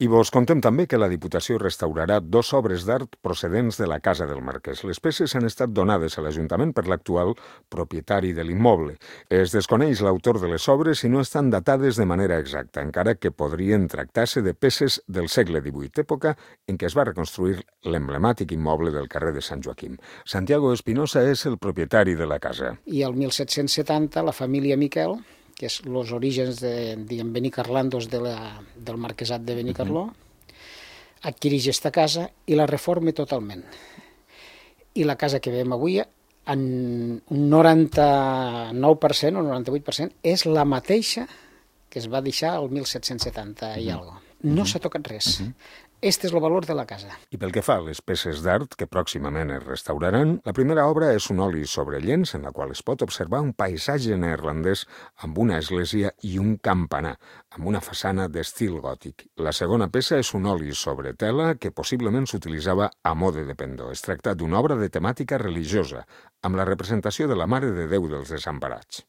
I vos contem també que la Diputació restaurarà 2 obres d'art procedents de la Casa del Marquès. Les peces han estat donades a l'Ajuntament per l'actual propietari de l'immoble. Es desconeix l'autor de les obres i no estan datades de manera exacta, encara que podrien tractar-se de peces del segle XVIII, època en què es va reconstruir l'emblemàtic immoble del carrer de Sant Joaquim. Santiago Espinosa és el propietari de la casa. I el 1770 la família Miquel, que és els orígens de Benicarlandos del marquesat de Benicarló, adquireix aquesta casa i la reforma totalment. I la casa que veiem avui, en un 99% o 98%, és la mateixa que es va deixar el 1770 i alguna cosa. No s'ha tocat res. Este és el valor de la casa. I pel que fa a les peces d'art que pròximament es restauraran, la primera obra és un oli sobre llenç en la qual es pot observar un paisatge neerlandès amb una església i un campanar, amb una façana d'estil gòtic. La segona peça és un oli sobre tela que possiblement s'utilitzava a mode de pendó. Es tracta d'una obra de temàtica religiosa, amb la representació de la Mare de Déu dels Desemparats.